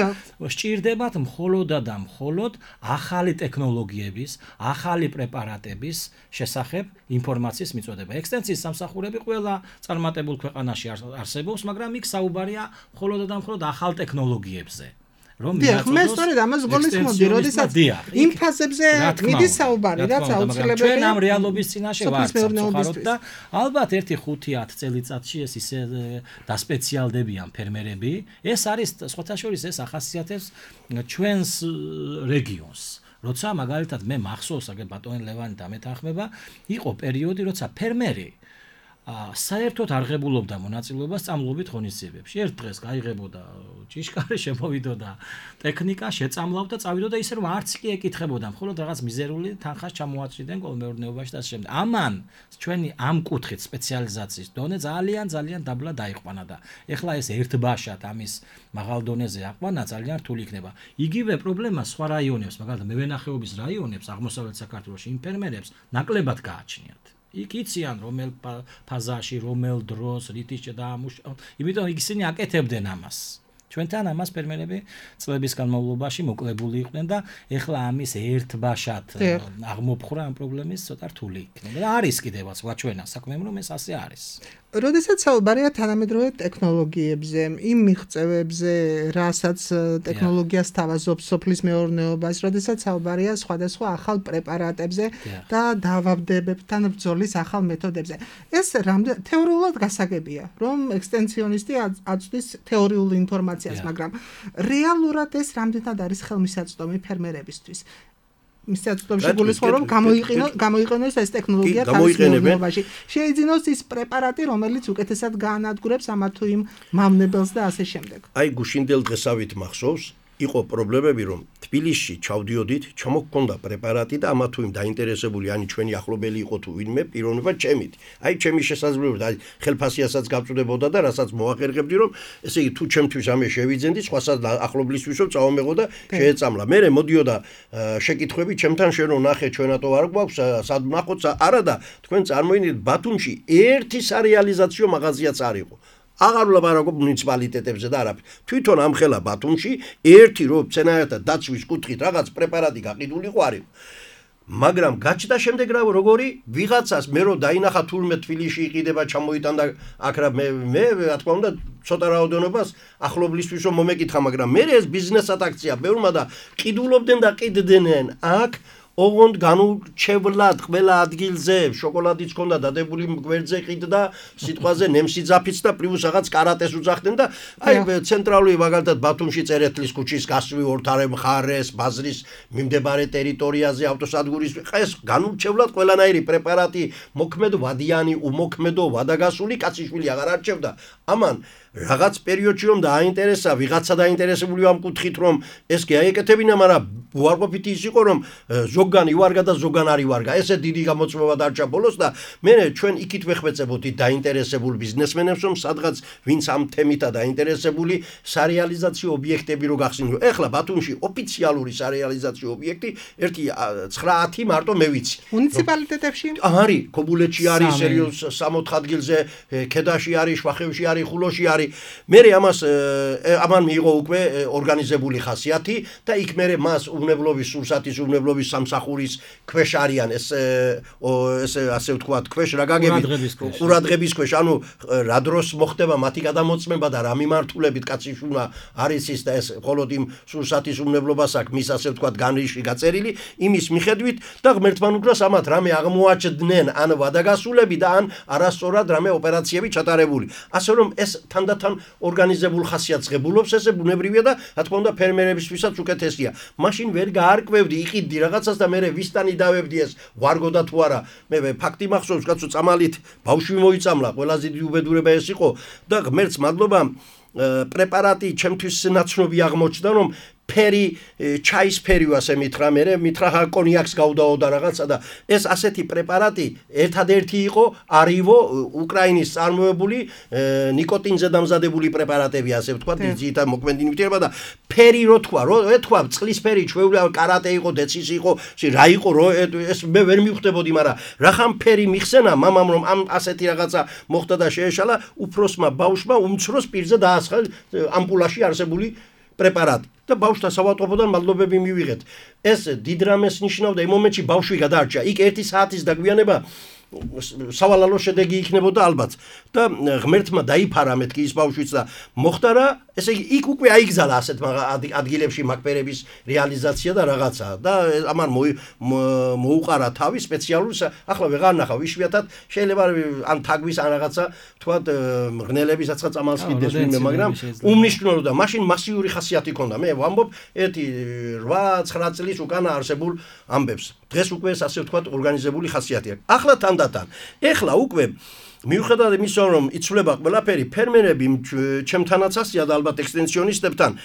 სჭირდებათ მხოლოდ და მხოლოდ ახალი ტექნოლოგიების, ახალი პრეპარატების შესახებ ინფორმაციის მიწოდება. ექსტენსიის სამსახურები ყველა წარმატებულ ქვეყანაში არსებობს, მაგრამ იქ საუბარია მხოლოდ და მხოლოდ ახალ ტექნოლოგიებზე. რომ მე სწორედ ამას გულისხმობდი, როდესაც იმ ფაზებზე მიდის საუბარი, რაც აუცილებელია. ჩვენ ამ რეალობის წინაშე ვართ სამწუხაროდ და ალბათ 1-5-10 წელიწადში ეს ისე დასპეციალდებიან ფერმერები. ეს არის სხვათა შორის ეს ახასიათებს ჩვენს რეგიონს. როცა მაგალითად მე მახსოვს, აგერ ბატონი ლევანი დამეთანხმება, იყო პერიოდი, როცა ფერმერი საერთოდ არ ღებულობდა მონაწილეობას წამლობით ღონისძიებებში. ერთ დღეს გაიღებოდა ჭიშკარი, შემოვიდოდა ტექნიკა, შეწამლავდა, წავიდოდა ისე რომ არც კი ეკითხებოდა, მხოლოდ რაღაც მიზერული თანხას ჩამოაწვიდნენ კოლმეურნეობაში და შემდეგ. ამან ჩვენი ამ კუთხით სპეციალიზაციის დონე ძალიან დაბლა დაიყვანა და ეხლა ეს ერთბაშად ამის მაღალ დონეზე აყვანა ძალიან რთული იქნება. იგივე პრობლემა სხვა რაიონებს, მაგალითად მევენახეობის რაიონებს, აღმოსავლეთ საქართველოში იმ ფერმერებს ნაკლებად გააჩნიათ. იქ იციან რომელ ფაზაში, რომელ დროს, რითი შედაამუშავონ. იმიტომ ისინი აკეთებდნენ ამას. ჩვენთან ამას ფერმერები წლების განმავლობაში მოკლებული იყვნენ და ეხლა ამის ერთბაშად აღმოფხრა ამ პრობლემის ცოტა რთული იქნება. და არის კიდევაც ვაჩვენა საქმემ რომ ეს ასე არის. როდესაც საუბარია თანამედროვე ტექნოლოგიებზე, იმ მიღწევებზე, რასაც ტექნოლოგიას თავაზობს სოფლის მეურნეობას, როდესაც საუბარია სხვადასხვა ახალ პრეპარატებზე და დავაბდებებთან ბრძოლის ახალ მეთოდებზე. ეს რამდენ თეორიულად გასაგებია, რომ ექსტენსიონისტი აწვდის თეორიულ ინფორმაციას, მაგრამ რეალურად ეს რამდენად არის ხელმისაწვდომი ფერმერებისთვის. მისაწვდომში გულისხმობ რომ გამოიყენოს ეს ტექნოლოგია თავის მეურნეობაში. შეიძინოს ის პრეპარატი, რომელიც უკეთესად გაანადგურებს ამა თუ იმ მავნებელს და ასე შემდეგ. აი გუშინდელ დღესავით მახსოვს, იყო პრობლემები რომ თბილისში ჩავდიოდით, ჩამოგქონდა პრეპარატი და ამა თუ იმ დაინტერესებული ani ჩვენი ახლობელი იყო თუ ვინმე პიროვნება ჩემით. აი ჩემი შესაძლებლობით აი ხელფასიასაც გავწვდებოდა და რასაც მოახერხებდი რომ ესე იგი თუ ჩემთვის ამე შევიძენდი, სხვასაც ახლობლისთვისო წავამეღო და შეეწამლა. მე მოდიოდა შეკითხვები ჩემთან შენ რო ნახე ჩვენათო არ გვაქვს სად ნახოთ არა და თქვენ წარმოიდგინეთ ბათუმში ერთი სარეალიზაციო მაღაზიაც არ იყო. აღარ ვლაპარაკობ მუნიციპალიტეტებზე და არაფერ. თვითონ ამ ხელა ბათუმში ერთი რო მცენარეთა დაცვის კუთხით რაღაც პრეპარატი გაყიდული იყო არ იყო. მაგრამ გაჩნდა შემდეგ როგორი ვიღაცას მე რო დაინახა თურმე თბილისში იყიდება ჩამოიტანდა აქ რა მე რა თქმა უნდა ცოტა რაოდენობას ახლობლისთვის რომ მომეკითხა, მაგრამ მე ეს ბიზნესად აქცია ბევრმა და ყიდულობდნენ და ყიდდნენ აქ ოღონდ განურჩევლად ყველა ადგილზე შოკოლადიც ქონდა დადებული გვერდზე ყიდდა სიტყვაზე ნემსიძაფიც და პლუს რაღაც კარატეს უძახდნენ და აი ცენტრალური მაგალითად ბათუმში წერეთლის ქუჩის გასწვრივ ორთარე მხარეს ბაზრის მიმდებარე ტერიტორიაზე ავტოსადგურის ეს განურჩევლად ყველანაირი პრეპარატი მოქმედო ვადიანი უმოქმედო ვადაგასული კაციშვილი აღარ არჩევდა ამან რაღაც პერიოდში რომ დააინტერესა ვიღაცა დაინტერესებული ამ კუთხით რომ ეს კი აიკეთებინა, მაგრამ უარყოფითი ის იყო რომ ზოგან ივარგა და ზოგან არ ივარგა. ესე დიდი გამოწვევა დარჩა ბოლოს და მე ჩვენ იქით ვეხმეწებოდი დაინტერესებულ ბიზნესმენებს რომ სადღაც ვინც ამ თემითა დაინტერესებული სარეალიზაციო ობიექტები რო გახსნიო. ეხლა ბათუმში ოფიციალური სარეალიზაციო ობიექტი 9-10 მარტო მე ვიცი. მუნიციპალიტეტებში? არის, ქობულეთში არის, 64 ადგილზე, ქედაში არის, შვახევში არის, ხულოში არის. მე ამან მიიღო უკვე ორგანიზებული ხასიათი და იქ მე მას უნებლობის სურსათის უნებლობის სამსახურის ქვეშ არიან ეს ასე ვთქვათ ქვეშ რა გაგებით ყურადღების ქვეშ ანუ რა დროს მოხდება მათი გადამოწმება და რა მიმართულებით კაციშვილმა არის ის და ეს მხოლოდ იმ სურსათის უნებლობას აქვს მის ასე ვთქვათ განრიში გაწერილი იმის მიხედვით და ღმერთთან უკრას ამათ რამე აღმოაჩნდნენ ან ვადაგასულები და ან არასწორად რამე ოპერაციები ჩატარებული ასე რომ ეს თანდათან ორგანიზებულ ხასიათს ღებულობს ესე ბუნებრივია და რა თქმა უნდა ფერმერებისთვისაც უკეთესია მაშინ ვერ გაარკვევდი იყიდდი რაღაცას და მე ვისტანი დავებდი ეს ვარგოდა თუ არა მე ფაქტი მახსოვს კაცო წამალით ბავშვი მოიწამლა ყველაზე დიდი უბედურება ეს იყო და ღმერთს მადლობა პრეპარატი ჩემთვის ნაცნობი აღმოჩნდა რომ ფერი ჩაის ფერი ასე მითხრა მე მითხრა კონიაკს გავდაოდა რაღაცა და ეს ასეთი პრეპარატი ერთადერთი იყო არივო უკრაინის წარმოებული ნიკოტინზე დამზადებული პრეპარატები ასე ვთქვათ ძითა მოქმედი ნივთიერება და ფერი რო თქვა წყლის ფერი ჩვეულა კარატე იყო დეცის იყო რა იყო რო ეს მე ვერ მივხვდებოდი მაგრამ რახან ფერი მიხსენა მამამ რომ ამ ასეთი რაღაცა მოხდა და შეეშალა უფროსმა ბავშვმა უმცროს პირზე დაასხა ამპულაში არსებული პრეპარატი და ბავშვთა სავატყოფოდან მადლობები მივიღეთ. ეს დიდ რამეს ნიშნავდა იმ მომენტში ბავშვი გადარჩა. იქ 1 საათის დაგვიანება სავალალო შედეგი იქნებოდა ალბათ და ღმერთმა დაიფარა მეთქი ის ბავშვიც და მოხდა რა ესე იგი იქ უკვე აიგზალა ასეთ ადგილებში მაგპერების რეალიზაცია და რაღაცა და ამან მოუყარა თავი სპეციალურ ახლა ვეღარ ნახავ იშვიათად შეიძლება ან თაგვის ან რაღაცა თქვა მღნელების აცხა წამალს კიდეს ვინმე მაგრამ უმნიშვნელო და მაშინ მასიური ხასიათი ჰქონდა მე ვამბობ 8-9 წლის უკანა არსებულ ამბებს დღეს უკვე ასე ვთქვათ ორგანიზებული ხასიათი აქვს ახლა თანდათან ეხლა უკვე მიუხედავად იმისა რომ იცვლება ყველაფერი ფერმერები ჩემთანაც ასია და ალბათ ექსტენსიონისტებთან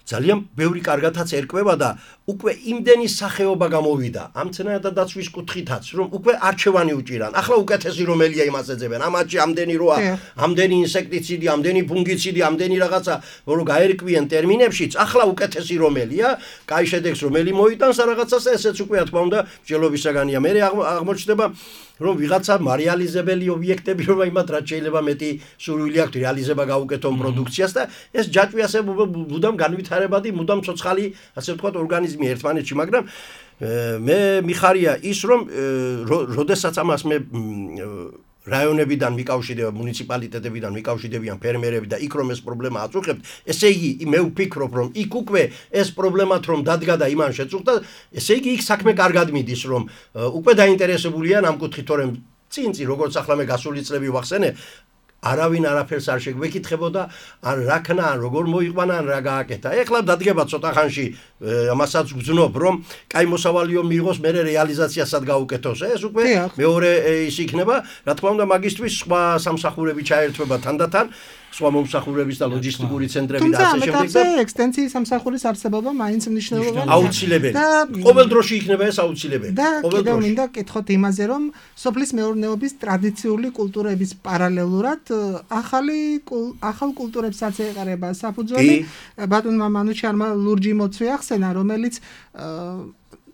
ძალიან ბევრი კარგათაც ერკვევა და უკვე იმდენი სახეობა გამოვიდა ამ მცენარეთა-დაცვის კუთხითაც რომ უკვე არჩევანი უჭირან ახლა უკეთესი რომელია იმას ეძებენ ამათში ამდენი როა ამდენი ინსექტიციდი ამდენი ფუნგიციდი ამდენი რაღაცა რომ გაერკვიან ტერმინებშიც ახლა უკეთესი რომელია კაი შედეგს რომელი მოიტანს რაღაცას ესეც უკვე თქმა უნდა მსჯელობისაგანია მე აღმოჩნდება რომ ვიღაცა მარეალიზებელი ობიექტები რომ იმათ რაც შეიძლება მეტი სურვილი აქვს რეალიზება გაუკეთონ პროდუქციას და ეს ჯაჭვი ასე მუდამ განვითარებადი მუდამ ცოცხალი ასე ვთქვათ ორგანიზმი ერთმანეთში მაგრამ მე მიხარია ის რომ როდესაც ამას მე რაიონებიდან მიკავშირდება მუნიციპალიტეტებიდან მიკავშირდებიან ფერმერები და იქ რომ ეს პრობლემა აწუხებთ ესე იგი მე ვფიქრობ რომ იქ უკვე ეს პრობლემათ რომ დადგა და იმან შეწუხდა ესე იგი იქ საქმე კარგად მიდის რომ უკვე დაინტერესებულია ამ კუთხით თორემ წინ როგორც ახლა მე გასული წლები ვახსენე არავინ არაფერს არ შეგვეკითხებოდა ან რა ქნა ან როგორ მოიყვანა ან რა გააკეთა ეხლა დადგება ცოტა ხანში ამასაც ვგზნობ რომ კაი მოსავალიო მიიღოს მე რეალიზაციასაც გაუკეთოს ეს უკვე მეორე ის იქნება რა თქმა უნდა მაგისტვის სხვა სამსახურები ჩაერთვება თანდათან სხვა მომსახურების და ლოჯისტიკური ცენტრები და ასე შემდეგ და ექსტენსიის სამსახურის არსებობა მაინც მნიშვნელოვანია აუცილებელი ყოველ დროში იქნება ეს აუცილებელი ყოველ დროში და მინდა კითხოთ იმაზე რომ სოფლის მეურნეობის ტრადიციული კულტურების პარალელურად ახალ კულტურებსაც ეყარება საფუძველი ბატონმა მანუჩარმა ლურჯი მოცვი ახსენა რომელიც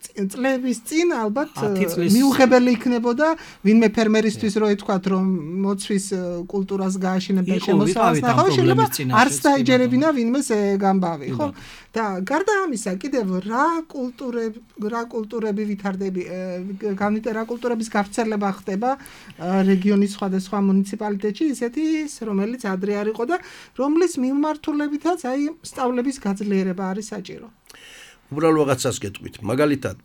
წლების წინ ალბათ მიუღებელი იქნებოდა ვინმე ფერმერისთვის რო ითქვათ რომ მოცვის კულტურას გააშენება და შემოსავალს ნახავი შეიძლება არც დაიჯერებინა ვინმეს გამბავი ხო და გარდა ამისა კიდევ რა კულტურები ვითარდება რა კულტურების გავრცელება ხდება რეგიონის სხვადასხვა მუნიციპალიტეტში ისეთი რომელიც ადრე არ იყო და რომლის მიმართულებითაც აი სწავლების გაძლიერება არის საჭირო უბრალოდ რაღაცას გეტყვით. მაგალითად,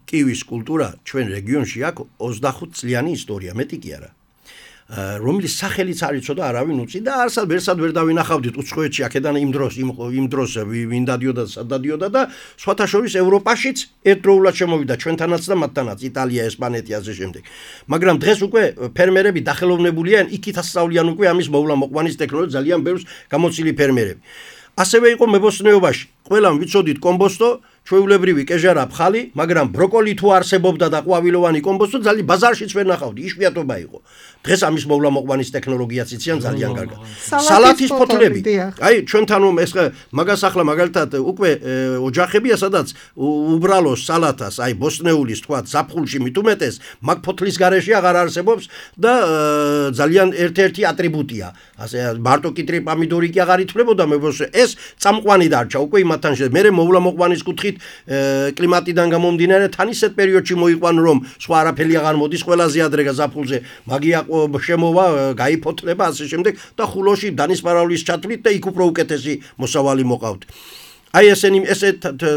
კივის კულტურა ჩვენ რეგიონში აქვს 25 წლიანი ისტორია, მეტი კი არა. რომლის სახელიც არ იცოდა არავინ უწი და არსად ვერსად ვერ დავინახავდით უცხოეთში აქედან იმ დროს ვინ დადიოდა და სად დადიოდა და სხვათა შორის ევროპაშიც ერთდროულად შემოვიდა ჩვენთანაც და მათთანაც იტალია, ესპანეთი ასე შემდეგ. მაგრამ დღეს უკვე ფერმერები დახელოვნებულია იქით ასწავლიან უკვე ამის მოვლა მოყვანის ტექნოლოგია ძალიან ბევრს გამოცილი ფერმერები. ასევე იყო მებოსტნეობაში. ყველამ ვიცოდით კომბოსტო ჩვეულებრივი კეჟარა ფხალი, მაგრამ ბროკოლი თუ არსებობდა და ყვავილოვანი კომბოსტო ძალიან ბაზარშიც ვერ ნახავდი, იშვიათობა იყო. დღეს ამის მოვლა-მოყვანის ტექნოლოგიაც იციან ძალიან კარგად. სალათის ფოთლები. აი, ჩვენთან ეს მაგას ახლა მაგალითად უკვე ოჯახებია, სადაც უბრალოს სალათას, აი ბოსტნეულის თქვა, ზაფხულში მithumetes, მაგ ფოთლის გარეშე აღარ არსებობს და ძალიან ერთ-ერთი ატრიბუტია. ასე მარტო კიტრი პომიდორი კი აღარ ითვლებოდა, ეს წამყვანი დარჩა უკვე იმათთან შე. მე მოვლა-მოყვანის კუთხით კლიმატიდან გამომდინარე თან ისეთ პერიოდში მოიყვან რომ სხვა არაფერი აღარ მოდის, ყველაზე ადრე ზაფხულზე მაგია შემოვა, გაიფოთლება ასე შემდეგ და ხულოში დანისპარaulis ჩათვლით და იქ უფრო უკეთესი მოსავალი მოყავთ. აი ესე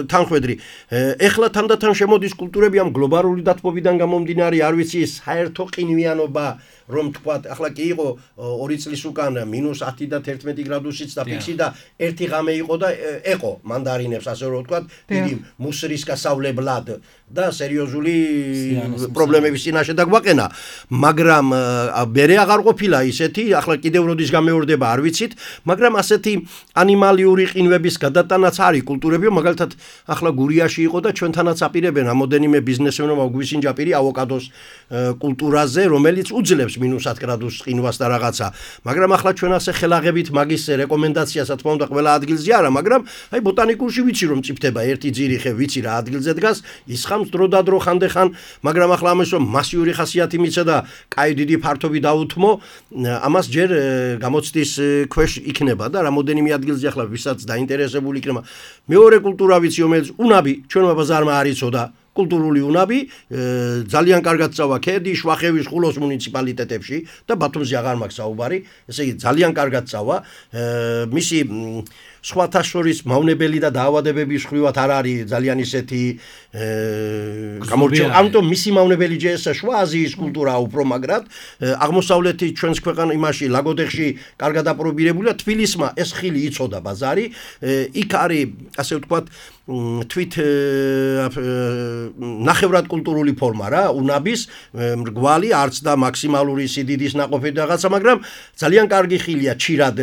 თანხვედრი. ეხლა თანდათან შემოდის კულტურები ამ გლობალური დათბობიდან გამომდინარე, არ ვიცი საერთო ყინვიანობა რომ თქვა, ახლა კი იყო 2 წლის უკან -10 და 11 გრადუსიც და ფიქსი და ერთი ღამე იყო და ეყო მანდარინებს, ასე რომ თქვა, დიდი მუსრის გასავლებლად და სერიოზული პრობლემების წინაშე დაგვაყენა, მაგრამ მერე აღარ ყოფილა ისეთი, ახლა კიდევ როდის გამეორდება არ ვიცით, მაგრამ ასეთი ანიმალიური ყინვების გადატანაც არის კულტურები, მაგალითად ახლა გურიაში იყო და ჩვენთანაც აპირებენ რამოდენიმე ბიზნესმენმა გვისინჯაპირი ავოკადოს კულტურაზე, რომელიც უძლებს -10 გრადუს ყინვას და რაღაცა, მაგრამ ახლა ჩვენ ასე ხელაღებით მაგის რეკომენდაციას რა თქმა უნდა ყველა ადგილზე არა, მაგრამ აი ბოტანიკურში ვიცი რომ წიფდება ერთი ძირი ხე, ვიცი რა ადგილზე დგას, ისხამს დრო და დრო ხანდეხან, მაგრამ ახლა ამას რომ მასიური ხასიათი მიცა და კაი დიდი ფართობი დაუთმო, ამას ჯერ გამოცდის ქვეშ იქნება და რამოდენიმე ადგილზე ახლა ვისაც დაინტერესებული იქნება. მეორე კულტურა ვიცი, რომელიც უნაბი ჩვენმა ბაზარმა არ იცოდა. კულტურული უნაბი ძალიან კარგად წავა ქედი, შვახევის, ხულოს მუნიციპალიტეტებში და ბათუმზე აღარ მაქვს საუბარი, ესე იგი ძალიან კარგად წავა. მისი სხვათა შორის მავნებელი და დაავადებების ხრივად არ არის ძალიან ისეთი გამორჩეული. ამიტომ მისი მავნებელი ჯესა შუა აზიის კულტურაა უფრო მაგრად. აღმოსავლეთი ჩვენს ქვეყანა იმაში ლაგოდეხში კარგად აპრობირებულია. თბილისმა ეს ხილი იცოდა ბაზარი. იქ არის ასე ვთქვათ თვით ნახევრად კულტურული ფორმა რა, უნაბის მრგვალი, არც და მაქსიმალური სიდიდის ნაყოფი რაღაცა, მაგრამ ძალიან კარგი ხილია, ჩირად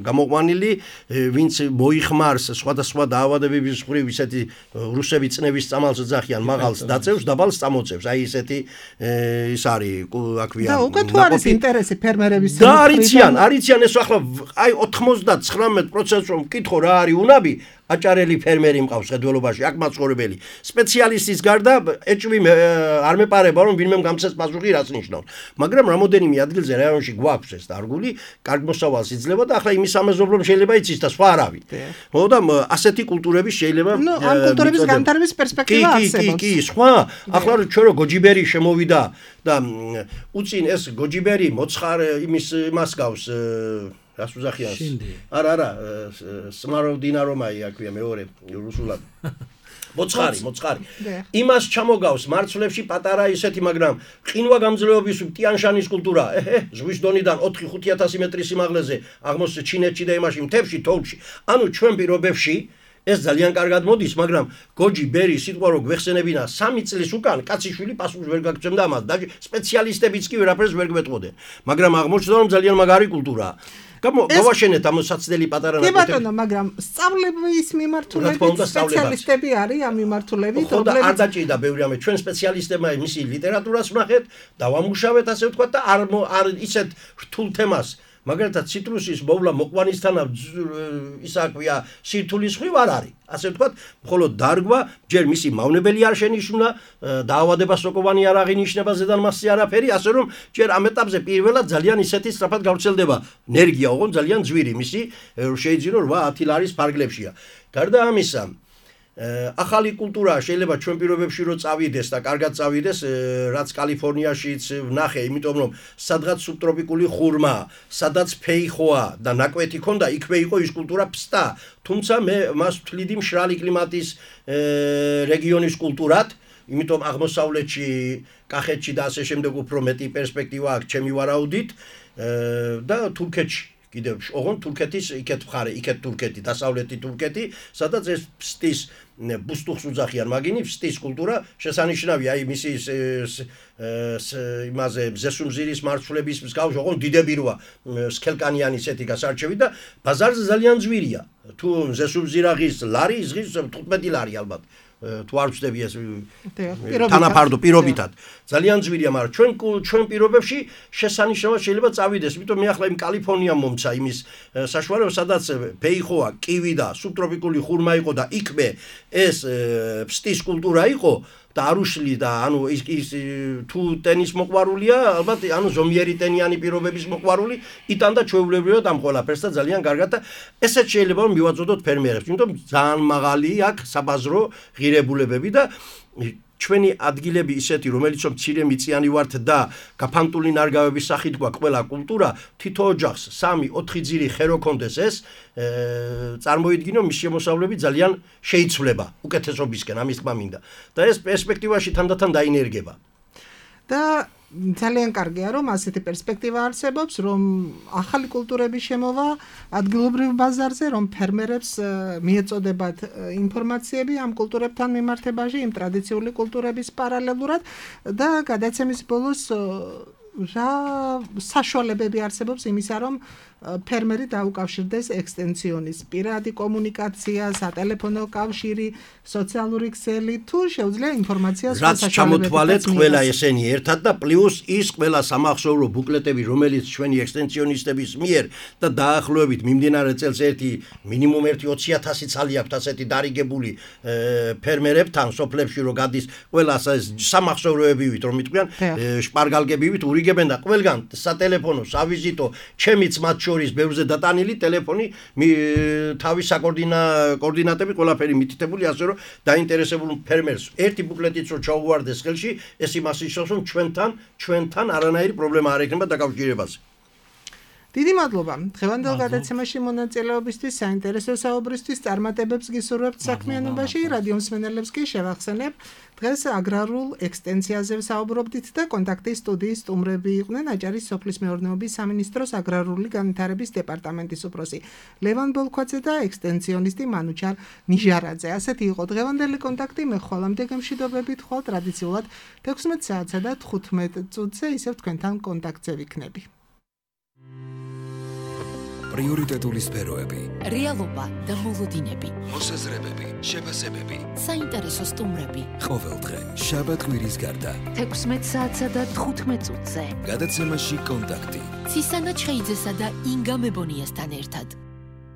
გამოყვანილი, ვინც მოიხმარს სხვადასხვა დაავადებების ხრივ ისეთი რუსები წნევის წამალს ძახიან, მაღალს დაწევს, დაბალს წამოწევს. აი ესეთი ის არის, აქვია. და უკვე თუ არის ინტერესი ფერმერების და არიციან ეს ახლა აი 99% რომ ვკითხო რა არის უნაბი, აჭარელი ფერმერი მყავს ხედველობაში, აქ მაცხოვრებელი. სპეციალისტის გარდა ეჭვი არ მეპარება რომ ვინმე გამცეს პასუხი რაც ნიშნავს. მაგრამ რამოდენიმე ადგილზე რაიონში გვაქვს ეს დარგული, კარგ მოსავალს იძლევა და ახლა იმის ამაზობლომ შეიძლება იცის და სხვა არავინ. ხო და ასეთი კულტურები შეიძლება ამ კულტურების განვითარების პერსპექტივა არსებობს. კი, სხვა. ახლა ჩვენ რო გოჯიბერი შემოვიდა და უწინ ეს გოჯიბერი მოცხარ იმას გავს რას უზახიანს? არა, სმაროდინარომაი აქვია მეორე რუსულად. მოცხარი. იმას ჩამოგავს მარცვლებში პატარა ისეთი, მაგრამ ყინვა გამძლეობის ტიანშანის კულტურა, ზღვის დონიდან 4-5000 მეტრის სიმაღლეზე, აღმოსავლეთ ჩინეთში და იმაში მთებში, თოვლში. ანუ ჩვენ პირობებში ეს ძალიან კარგად მოდის, მაგრამ გოჯი ბერი სიტყვა რო გვეხსენებინა 3 წლის უკან კაციშვილი პასუხს ვერ გაგწევდა ამას და სპეციალისტებიც კი ვერაფერს ვერ გვეტყოდნენ. მაგრამ აღმოჩნდა რომ ძალიან მაგარი კულტურაა. გავაშენეთ ამ საცდელი პატარა ნაკეთები. კი ბატონო, მაგრამ სწავლების მიმართულებით სპეციალისტები არის ამ მიმართულებით, რომლებიც არ დაჭირდა ბევრი ამე ჩვენ სპეციალისტებმა მისი ლიტერატურას ვნახეთ, დავამუშავეთ ასე ვთქვათ და არ ისეთ რთულ თემას მაგალითად ციტრუსის მოვლა მოყვანისთანავ ისაქვია სირთულის ხრივ არ არის. ასე ვთქვათ, მხოლოდ დარგვა, ჯერ მისი მავნებელი არ შენიშნა, დაავადება სოკოვანი არ აღინიშნება ზედან მასზე არაფერი, ასე რომ ჯერ ამ ეტაპზე პირველად ძალიან ისეთი სწრაფად გავრცელდება ენერგია, ოღონდ ძალიან ძვირი მისი შეიძლება 8-10 ლარის ფარგლებშია. გარდა ამისა, ახალი კულტურა შეიძლება ჩვენ პირობებში რო წავიდეს და კარგად წავიდეს, რაც კალიფორნიაშიც ვნახე, იმიტომ რომ სადღაც სუბტროპიკული ხურმა, სადაც ფეიხოა და ნაკვეთი ქონდა, იქვე იყო ის კულტურა ფსტა. თუმცა მე მას ვთვლიდი მშრალი კლიმატის რეგიონის კულტურად, იმიტომ აღმოსავლეთში, კახეთში და ასე შემდეგ უფრო მეტი პერსპექტივა აქვს ჩემი ვარაუდით და თურქეთში კიდევ ოღონდ თურქეთის იქეთ მხარე, იქეთ თურქეთი, დასავლეთი თურქეთი, სადაც ეს ფსტის ბუსტუხს უძახიან, მაგინი ფსტის კულტურა შესანიშნავია, აი მისი იმაზე ზესუმზირის მარცვლების მსგავს, ოღონდ დიდები როა სქელკანიანი ესეთი გასარჩევი და ბაზარზე ძალიან ძვირია. თუ ზესუმზირაღის ლარი იზღის 15 ლარი ალბათ. თუ არ ვწდები ეს თანაფარდო პირობითად ძალიან ძვირია, მაგრამ ჩვენ პირობებში შესანიშნავად შეიძლება წავიდეს, იმიტომ მე ახლა იმ კალიფორნიამ მომცა იმის საშუალება, სადაც ფეიხოა, კივი და სუბტროპიკული ხურმა იყო და იქვე ეს ფსტის კულტურა იყო და არუშლი და ანუ ის თუ ტენის მოყვარულია, ალბათ ანუ ზომიერი ტენიანი პირობების მოყვარული იტანდა ჩვეულებრივად ამ ყველაფერს და ძალიან კარგად და ესეც შეიძლება რომ მივაწოდოთ ფერმერებს, იმიტომ ძალიან მაღალი აქვს საბაზრო ღირებულებები და ჩვენი ადგილები ისეთი, რომელიც რომ მცირე მიწიანი ვართ და გაფანტული ნარგავების სახით გვაქვს ყველა კულტურა, თითო ოჯახს 3-4 ძირი ხერო კონდეს ეს წარმოიდგინო მის შემოსავლები ძალიან შეიცვლება უკეთესობისკენ, ამის თქმა მინდა. და ეს პერსპექტივაში თანდათან დაინერგება. და ძალიან კარგია რომ ასეთი პერსპექტივა არსებობს, რომ ახალი კულტურების შემოვა ადგილობრივ ბაზარზე, რომ ფერმერებს მიეწოდებათ ინფორმაციები ამ კულტურებთან მიმართებაში, იმ ტრადიციული კულტურების პარალელურად და გადაცემის ბოლოს რა საშუალებები არსებობს იმისა, რომ ფერმერი დაუკავშირდეს ექსტენსიონის პირადი კომუნიკაცია, სატელეფონო კავშირი, სოციალური ქსელი, თუ შეუძლია ინფორმაციას რაც ჩამოთვალეთ ყველა ესენი ერთად და პლუს ის ყველა სამახსოვრო ბუკლეტები, რომელიც ჩვენი ექსტენსიონისტების მიერ და დაახლოებით მიმდინარე წელს მინიმუმ 20,000 ცალი აქვს ასეთი დარიგებული ფერმერებთან სოფლებში რო გადის ყველა სამახსოვროებივით რომ იტყვიან შპარგალგებივით ურიგებენ და ყველგან სატელეფონო, სავიზიტო, ჩემიც მათ შორის ბევრზე დატანილი ტელეფონი თავის საკოორდინატები ყველაფერი მითითებული, ასე რომ დაინტერესებულ ფერმერს ერთი ბუკლეტიც რო ჩაუვარდეს ხელში, ეს იმას ნიშნავს, რომ ჩვენთან არანაირი პრობლემა არ ექნება დაკავშირებაზე. დიდი მადლობა. დღევანდელ გადაცემაში მონაწილეობისთვის, საინტერესო საუბრისთვის, წარმატებებს გისურვებთ საქმიანობაში, რადიო მსმენელებს კი შევახსენებ, დღეს აგრარულ ექსტენსიაზე ვსაუბრობდით და კონტაქტის სტუდიის სტუმრები იყვნენ აჭარის სოფლის მეურნეობის სამინისტროს აგრარული განვითარების დეპარტამენტის უფროსი ლევან ბოლქვაძე და ექსტენსიონისტი მანუჩარ ნიჟარაძე. ასეთი იყო დღევანდელი კონტაქტი, მე ხვალამდე გემშვიდობებით ხვალ ტრადიციულად 16 საათსა და 15 წუთზე ისევ თქვენთან კონტაქტზე ვიქნები. პრიორიტეტული სფეროები, რეალობა და მოლოდინები, მოსაზრებები, შეფასებები, საინტერესო სტუმრები. ყოველდღე შაბათ-კვირის გარდა 16 საათსა და 15 წუთზე. გადაცემაში კონტაქტი. ცისანა ჩხეიძესა და ინგა მებონიასთან ერთად.